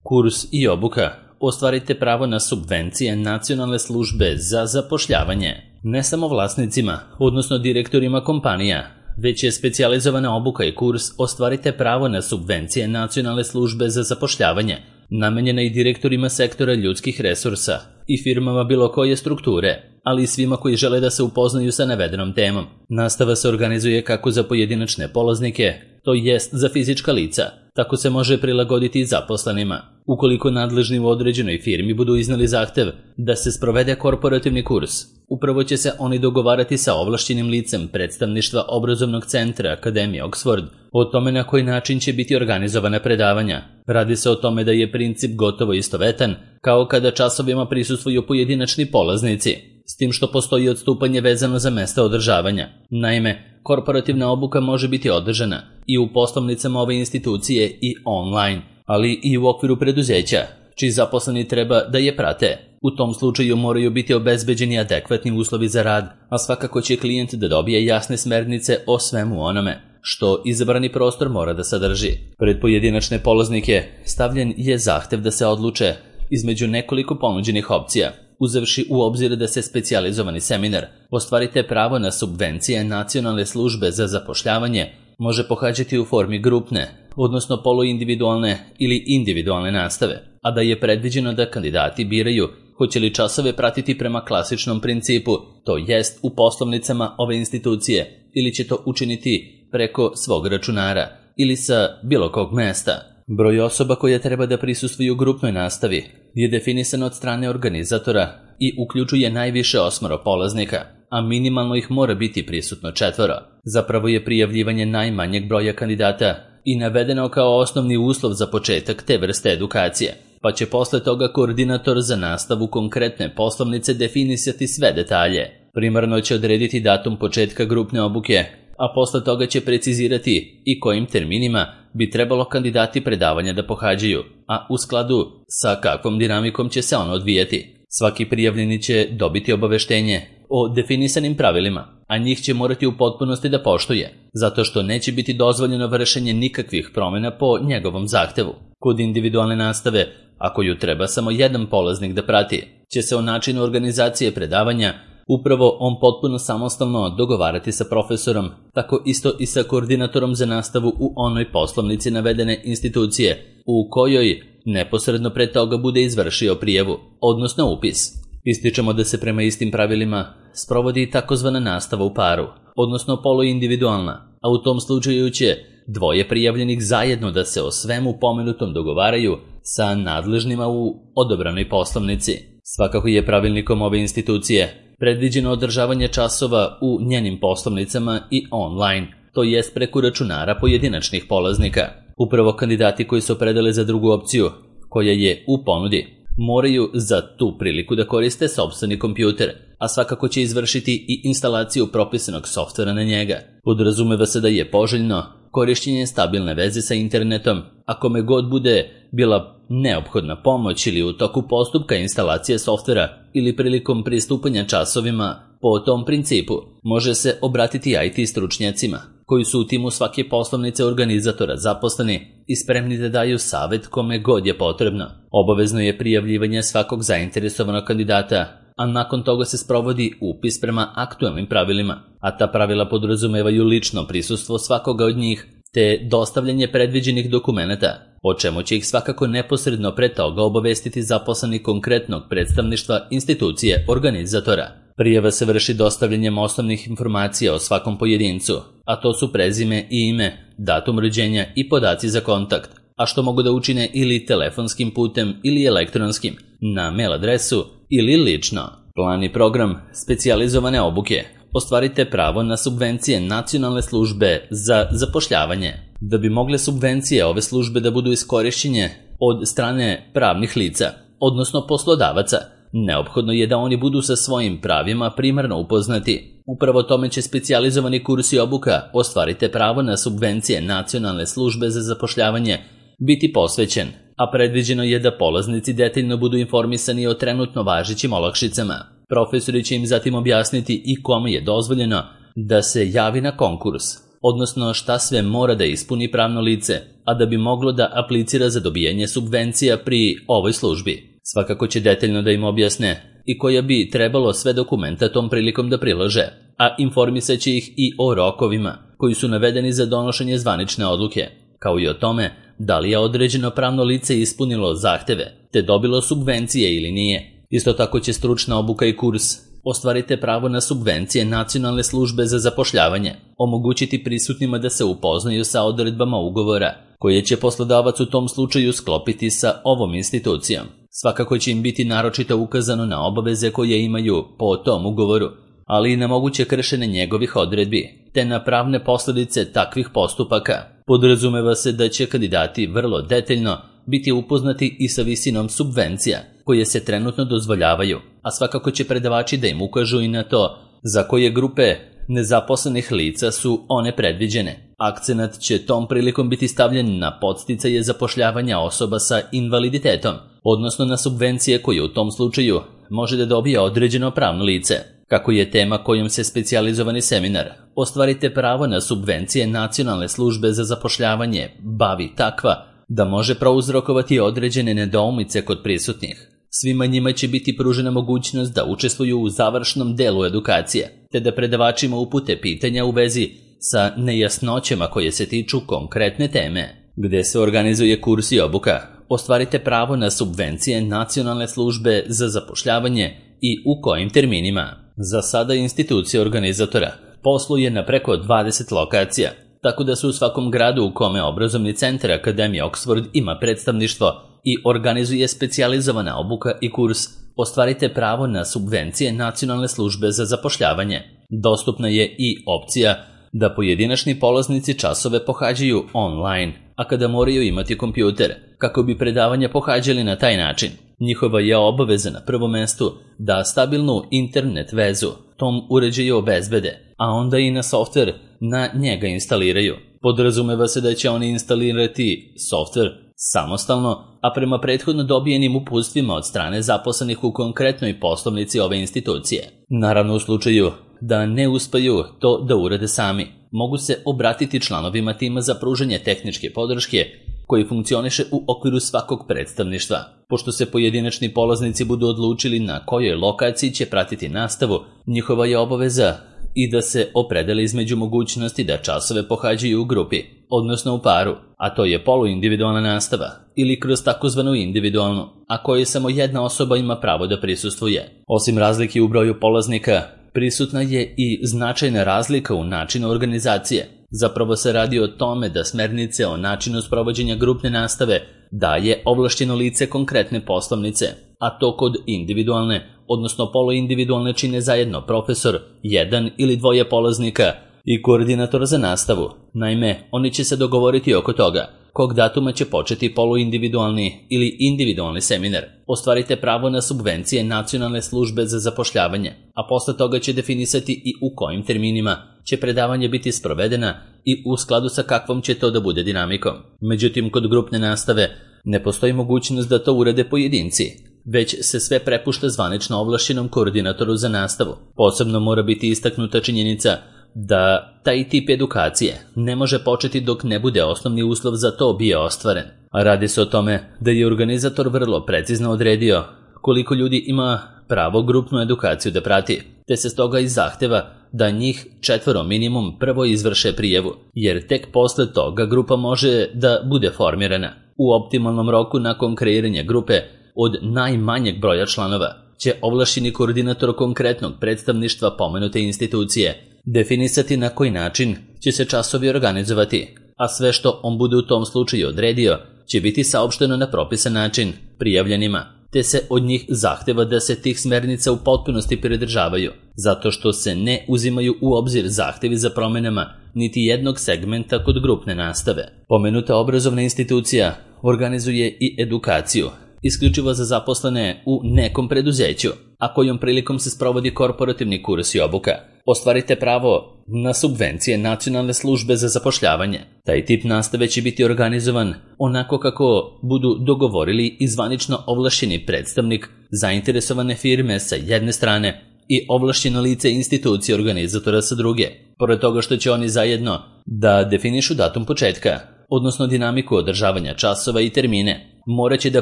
Kurs i obuka. Ostvarite pravo na subvencije Nacionalne službe za zapošljavanje. Ne samo vlasnicima, odnosno direktorima kompanija, već je specijalizovana obuka i kurs Ostvarite pravo na subvencije Nacionalne službe za zapošljavanje, namenjena i direktorima sektora ljudskih resursa i firmama bilo koje strukture, ali i svima koji žele da se upoznaju sa navedenom temom. Nastava se organizuje kako za pojedinačne polaznike, to jest za fizička lica, tako se može prilagoditi i zaposlenima. Ukoliko nadležni u određenoj firmi budu iznali zahtev da se sprovede korporativni kurs, upravo će se oni dogovarati sa ovlašćenim licem predstavništva obrazovnog centra Akademije Oxford o tome na koji način će biti organizovana predavanja. Radi se o tome da je princip gotovo istovetan kao kada časovima prisustvuju pojedinačni polaznici, s tim što postoji odstupanje vezano za mesta održavanja. Naime, korporativna obuka može biti održana i u poslovnicama ove institucije i online, ali i u okviru preduzeća, čiji zaposleni treba da je prate. U tom slučaju moraju biti obezbeđeni adekvatni uslovi za rad, a svakako će klijent da dobije jasne smernice o svemu onome što izabrani prostor mora da sadrži. Pred pojedinačne polaznike stavljen je zahtev da se odluče između nekoliko ponuđenih opcija, uzevši u obzir da se specijalizovani seminar Ostvarite pravo na subvencije Nacionalne službe za zapošljavanje može pohađati u formi grupne, odnosno poluindividualne ili individualne nastave, a da je predviđeno da kandidati biraju hoće li časove pratiti prema klasičnom principu, to jest u poslovnicama ove institucije, ili će to učiniti preko svog računara ili sa bilo kog mesta. Broj osoba koje treba da prisustvuju grupnoj nastavi je definisan od strane organizatora i uključuje najviše 8 polaznika, a minimalno ih mora biti prisutno 4. Zapravo je prijavljivanje najmanjeg broja kandidata i navedeno kao osnovni uslov za početak te vrste edukacije, pa će posle toga koordinator za nastavu konkretne poslovnice definisati sve detalje. Primarno će odrediti datum početka grupne obuke, a posle toga će precizirati i kojim terminima bi trebalo kandidati predavanja da pohađaju, a u skladu sa kakvom dinamikom će se ono odvijati. Svaki prijavljeni će dobiti obaveštenje o definisanim pravilima, a njih će morati u potpunosti da poštuje, zato što neće biti dozvoljeno vršenje nikakvih promjena po njegovom zahtevu. Kod individualne nastave, ako ju treba samo jedan polaznik da prati, će se o načinu organizacije predavanja upravo on potpuno samostalno dogovarati sa profesorom, tako isto i sa koordinatorom za nastavu u onoj poslovnici navedene institucije, u kojoj neposredno pre toga bude izvršio prijavu, odnosno upis. Ističemo da se prema istim pravilima sprovodi i takozvana nastava u paru, odnosno poluindividualna, a u tom slučaju će dvoje prijavljenih zajedno da se o svemu pomenutom dogovaraju sa nadležnima u odobranoj poslovnici. Svakako je pravilnikom ove institucije predviđeno održavanje časova u njenim poslovnicama i online, to jest preko računara pojedinačnih polaznika. Upravo kandidati koji se opredele za drugu opciju, koja je u ponudi, moraju za tu priliku da koriste sopstveni kompjuter, a svakako će izvršiti i instalaciju propisanog softvera na njega. Podrazumeva se da je poželjno korišćenje stabilne veze sa internetom, a kome god bude bila neophodna pomoć ili u toku postupka instalacije softvera ili prilikom pristupanja časovima po tom principu, može se obratiti IT stručnjacima, koji su u timu svake poslovnice organizatora zaposleni i spremni da daju savjet kome god je potrebno. Obavezno je prijavljivanje svakog zainteresovanog kandidata, a nakon toga se sprovodi upis prema aktualnim pravilima, a ta pravila podrazumevaju lično prisustvo svakoga od njih, te dostavljanje predviđenih dokumenata, o čemu će ih svakako neposredno pre toga obavestiti zaposleni konkretnog predstavništva institucije organizatora. Prijava se vrši dostavljanjem osnovnih informacija o svakom pojedincu, a to su prezime i ime, datum rođenja i podaci za kontakt, a što mogu da učine ili telefonskim putem ili elektronskim, na mail adresu ili lično. Plan i program specijalizovane obuke. Ostvarite pravo na subvencije Nacionalne službe za zapošljavanje. Da bi mogle subvencije ove službe da budu iskorišćene od strane pravnih lica, odnosno poslodavaca, neophodno je da oni budu sa svojim pravima primarno upoznati. Upravo tome će specijalizovani kurs i obuka Ostvarite pravo na subvencije Nacionalne službe za zapošljavanje biti posvećen, a predviđeno je da polaznici detaljno budu informisani o trenutno važećim olakšicama. Profesori će im zatim objasniti i kome je dozvoljeno da se javi na konkurs, odnosno šta sve mora da ispuni pravno lice, a da bi moglo da aplicira za dobijanje subvencija pri ovoj službi. Svakako će detaljno da im objasne i koja bi trebalo sve dokumenta tom prilikom da prilože, a informisat će ih i o rokovima koji su navedeni za donošenje zvanične odluke, kao i o tome da li je određeno pravno lice ispunilo zahteve te dobilo subvencije ili nije. Isto tako će stručna obuka i kurs Ostvarite pravo na subvencije Nacionalne službe za zapošljavanje omogućiti prisutnima da se upoznaju sa odredbama ugovora koje će poslodavac u tom slučaju sklopiti sa ovom institucijom. Svakako će im biti naročito ukazano na obaveze koje imaju po tom ugovoru, ali i na moguće kršenje njegovih odredbi, te na pravne posljedice takvih postupaka. Podrazumeva se da će kandidati vrlo detaljno biti upoznati i sa visinom subvencija koje se trenutno dozvoljavaju, a svakako će predavači da im ukažu i na to za koje grupe nezaposlenih lica su one predviđene. Akcenat će tom prilikom biti stavljen na podsticaje zapošljavanja osoba sa invaliditetom, odnosno na subvencije koje u tom slučaju može da dobije određeno pravno lice. Kako je tema kojom se specijalizovani seminar Ostvarite pravo na subvencije Nacionalne službe za zapošljavanje bavi takva da može prouzrokovati određene nedoumice kod prisutnih, svima njima će biti pružena mogućnost da učestvuju u završnom delu edukacije, te da predavačima upute pitanja u vezi sa nejasnoćama koje se tiču konkretne teme. Gde se organizuje kurs i obuka Ostvarite pravo na subvencije Nacionalne službe za zapošljavanje i u kojim terminima. Za sada institucija organizatora posluje na preko 20 lokacija, tako da se u svakom gradu u kome obrazovni centar Akademije Oxford ima predstavništvo i organizuje specijalizovana obuka i kurs Ostvarite pravo na subvencije Nacionalne službe za zapošljavanje. Dostupna je i opcija da pojedinačni polaznici časove pohađaju online, a kada moraju imati kompjuter, kako bi predavanja pohađali na taj način. Njihova je obaveza na prvom mestu da stabilnu internet vezu tom uređaju obezbede, a onda i na softver na njega instaliraju. Podrazumeva se da će oni instalirati softver samostalno, a prema prethodno dobijenim uputstvima od strane zaposlenih u konkretnoj poslovnici ove institucije. Naravno, u slučaju da ne uspeju to da urade sami, mogu se obratiti članovima tima za pružanje tehničke podrške koji funkcioniše u okviru svakog predstavništva. Pošto se pojedinačni polaznici budu odlučili na kojoj lokaciji će pratiti nastavu, njihova je obaveza i da se opredeli između mogućnosti da časove pohađaju u grupi, odnosno u paru, a to je poluindividualna nastava, ili kroz takozvanu individualnu, a kojoj samo jedna osoba ima pravo da prisustvuje. Osim razlike u broju polaznika, prisutna je i značajna razlika u načinu organizacije. Zapravo se radi o tome da smernice o načinu sprovođenja grupne nastave daje ovlašćeno lice konkretne poslovnice, a to kod individualne, odnosno poluindividualne čine zajedno profesor, jedan ili dvoje polaznika i koordinator za nastavu. Naime, oni će se dogovoriti oko toga kog datuma će početi poluindividualni ili individualni seminar. Ostvarite pravo na subvencije Nacionalne službe za zapošljavanje, a posle toga će definisati i u kojim terminima će predavanje biti sprovedena i u skladu sa kakvom će to da bude dinamikom. Međutim, kod grupne nastave ne postoji mogućnost da to urade pojedinci, već se sve prepušta zvanično ovlašćenom koordinatoru za nastavu. Posebno mora biti istaknuta činjenica da taj tip edukacije ne može početi dok ne bude osnovni uslov za to bio ostvaren. A radi se o tome da je organizator vrlo precizno odredio koliko ljudi ima pravo grupnu edukaciju da prati, te se stoga i zahteva da njih 4 minimum prvo izvrše prijavu, jer tek posle toga grupa može da bude formirana. U optimalnom roku nakon kreiranja grupe od najmanjeg broja članova će ovlašćeni koordinator konkretnog predstavništva pomenute institucije definisati na koji način će se časovi organizovati, a sve što on bude u tom slučaju odredio će biti saopšteno na propisan način prijavljenima, te se od njih zahteva da se tih smernica u potpunosti pridržavaju, zato što se ne uzimaju u obzir zahtevi za promenama niti jednog segmenta kod grupne nastave. Pomenuta obrazovna institucija organizuje i edukaciju isključivo za zaposlene u nekom preduzeću, a kojom prilikom se sprovodi korporativni kurs i obuka. Ostvarite pravo na subvencije Nacionalne službe za zapošljavanje. Taj tip nastave će biti organizovan onako kako budu dogovorili i zvanično ovlašćeni predstavnik zainteresovane firme sa jedne strane i ovlašćeno lice institucije organizatora sa druge. Pored toga što će oni zajedno da definišu datum početka, odnosno dinamiku održavanja časova i termine, morat će da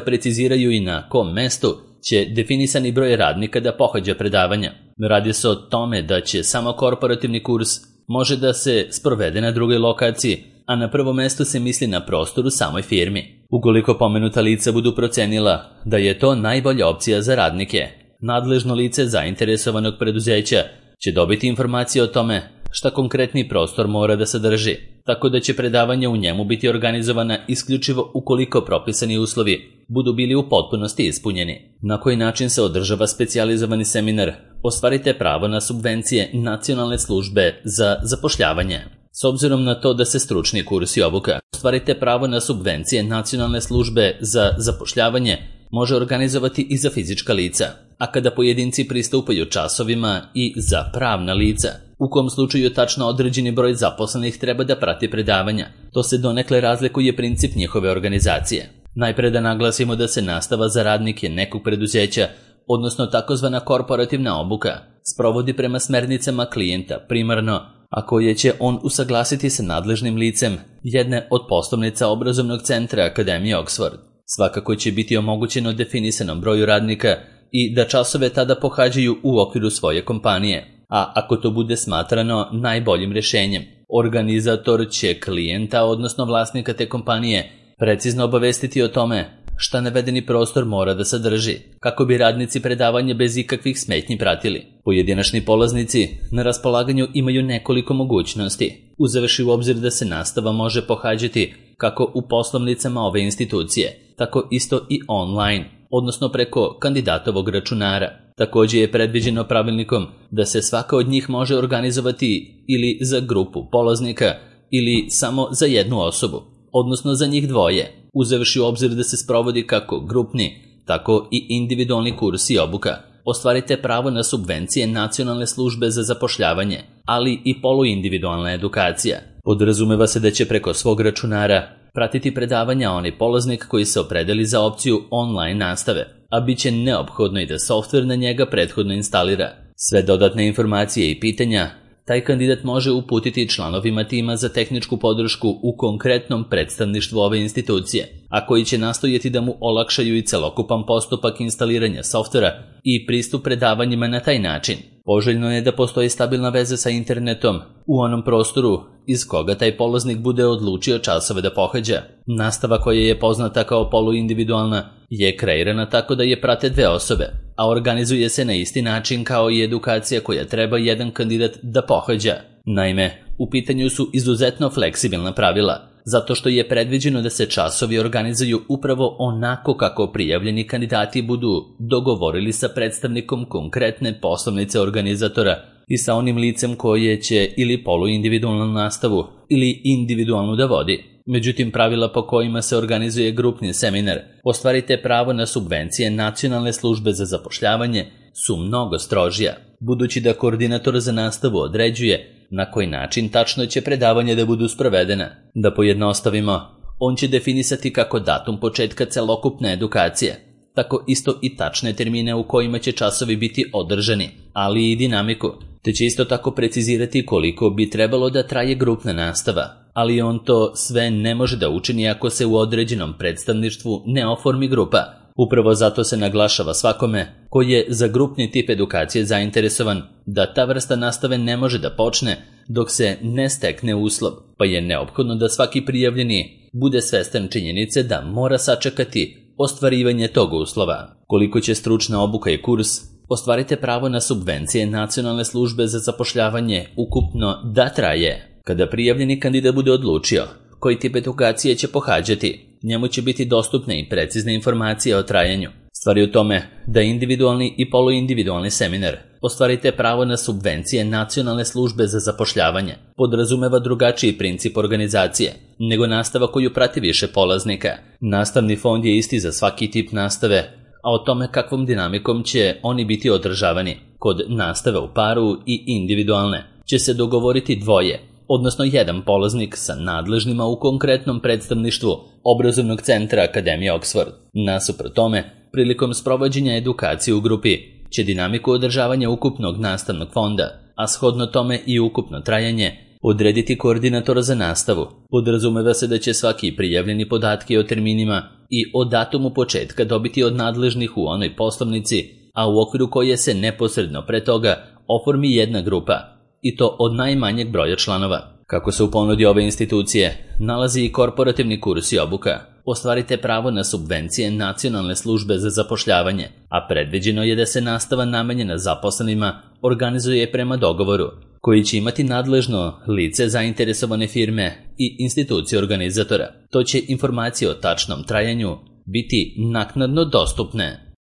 preciziraju i na kom mestu će definisani broj radnika da pohađa predavanja. Radi se o tome da će samo korporativni kurs može da se sprovede na drugoj lokaciji, a na prvom mestu se misli na prostor u samoj firmi. Ukoliko pomenuta lica budu procenila da je to najbolja opcija za radnike, nadležno lice zainteresovanog preduzeća će dobiti informacije o tome šta konkretni prostor mora da sadrži, tako da će predavanja u njemu biti organizovana isključivo ukoliko propisani uslovi budu bili u potpunosti ispunjeni. Na koji način se održava specijalizovani seminar? Ostvarite pravo na subvencije Nacionalne službe za zapošljavanje. S obzirom na to da se stručni kurs i obuka ostvarite pravo na subvencije Nacionalne službe za zapošljavanje može organizovati i za fizička lica, a kada pojedinci pristupaju časovima i za pravna lica, u kom slučaju tačno određeni broj zaposlenih treba da prati predavanja. To se donekle razlikuje princip njihove organizacije. Najpre da naglasimo da se nastava za radnike nekog preduzeća, odnosno takozvana korporativna obuka, sprovodi prema smernicama klijenta primarno, a koje će on usaglasiti sa nadležnim licem jedne od poslovnica obrazovnog centra Akademije Oxford. Svakako će biti omogućeno definisanom broju radnika i da časove tada pohađaju u okviru svoje kompanije, a ako to bude smatrano najboljim rješenjem, organizator će klijenta, odnosno vlasnika te kompanije, precizno obavestiti o tome šta navedeni prostor mora da sadrži, kako bi radnici predavanje bez ikakvih smetnji pratili. Pojedinačni polaznici na raspolaganju imaju nekoliko mogućnosti, uzevši u obzir da se nastava može pohađati kako u poslovnicama ove institucije, tako isto i online, odnosno preko kandidatovog računara. Također je predviđeno pravilnikom da se svaka od njih može organizovati ili za grupu polaznika ili samo za jednu osobu, odnosno za njih dvoje, uzevši u obzir da se sprovodi kako grupni, tako i individualni kurs i obuka. Ostvarite pravo na subvencije Nacionalne službe za zapošljavanje, ali i poluindividualna edukacija. Podrazumeva se da će preko svog računara pratiti predavanja onaj polaznik koji se opredeli za opciju online nastave, a bit će neophodno i da softver na njega prethodno instalira. Sve dodatne informacije i pitanja taj kandidat može uputiti članovima tima za tehničku podršku u konkretnom predstavništvu ove institucije, a koji će nastojati da mu olakšaju i celokupan postupak instaliranja softvera i pristup predavanjima na taj način. Poželjno je da postoji stabilna veza sa internetom u onom prostoru iz koga taj polaznik bude odlučio časove da pohađa. Nastava koja je poznata kao poluindividualna je kreirana tako da je prate dve osobe, a organizuje se na isti način kao i edukacija koja treba jedan kandidat da pohađa. Naime, u pitanju su izuzetno fleksibilna pravila, zato što je predviđeno da se časovi organizuju upravo onako kako prijavljeni kandidati budu dogovorili sa predstavnikom konkretne poslovnice organizatora i sa onim licem koje će ili poluindividualnu nastavu ili individualnu da vodi. Međutim, pravila po kojima se organizuje grupni seminar, ostvarite pravo na subvencije Nacionalne službe za zapošljavanje, su mnogo strožija, budući da koordinator za nastavu određuje na koji način tačno će predavanje da budu sprovedena. Da pojednostavimo, on će definisati kako datum početka celokupne edukacije, tako isto i tačne termine u kojima će časovi biti održani, ali i dinamiku, te će isto tako precizirati koliko bi trebalo da traje grupna nastava, ali on to sve ne može da učini ako se u određenom predstavništvu ne oformi grupa. Upravo zato se naglašava svakome koji je za grupni tip edukacije zainteresovan da ta vrsta nastave ne može da počne dok se ne stekne uslov, pa je neophodno da svaki prijavljeni bude svestan činjenice da mora sačekati ostvarivanje tog uslova. Koliko će stručna obuka i kurs, ostvarite pravo na subvencije Nacionalne službe za zapošljavanje ukupno da traje. Kada prijavljeni kandidat bude odlučio koji tip edukacije će pohađati, njemu će biti dostupne i precizne informacije o trajanju. Stvar je u tome da individualni i poluindividualni seminar ostvarite pravo na subvencije Nacionalne službe za zapošljavanje podrazumeva drugačiji princip organizacije nego nastava koju prati više polaznika. Nastavni fond je isti za svaki tip nastave, a o tome kakvom dinamikom će oni biti održavani kod nastave u paru i individualne će se dogovoriti dvoje, odnosno jedan polaznik sa nadležnima u konkretnom predstavništvu obrazovnog centra Akademije Oxford. Nasuprot tome, prilikom sprovođenja edukacije u grupi, će dinamiku održavanja ukupnog nastavnog fonda, a shodno tome i ukupno trajanje, odrediti koordinator za nastavu. Podrazumeva se da će svaki prijavljeni podatke o terminima i o datumu početka dobiti od nadležnih u onoj poslovnici, a u okviru koje se neposredno pre toga oformi jedna grupa, i to od najmanjeg broja članova. Kako se u ponudi ove institucije nalazi i korporativni kurs i obuka, ostvarite pravo na subvencije Nacionalne službe za zapošljavanje, a predviđeno je da se nastava namenjena zaposlenima organizuje prema dogovoru, koji će imati nadležno lice zainteresovane firme i institucije organizatora. To će informacije o tačnom trajanju biti naknadno dostupne.